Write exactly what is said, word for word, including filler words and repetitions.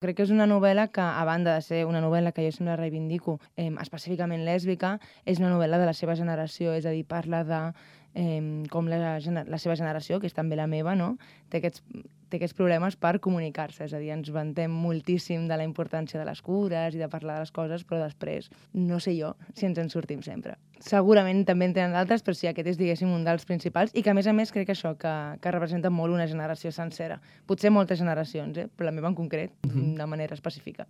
Crec que és una novel·la que, a banda de ser una novel·la que jo sempre reivindico eh, específicament lèsbica, és una novel·la de la seva generació, és a dir, parla de eh, com la, la seva generació, que és també la meva, no? té, aquests, té aquests problemes per comunicar-se, és a dir, ens vantem moltíssim de la importància de les cures i de parlar de les coses, però després no sé jo si ens en sortim sempre. Segurament també en tenen d'altres, però sí, aquest és, diguéssim, un dels principals i que, a més a més, crec que això, que, que representa molt una generació sencera. Potser moltes generacions, eh? però la meva en concret, de manera específica.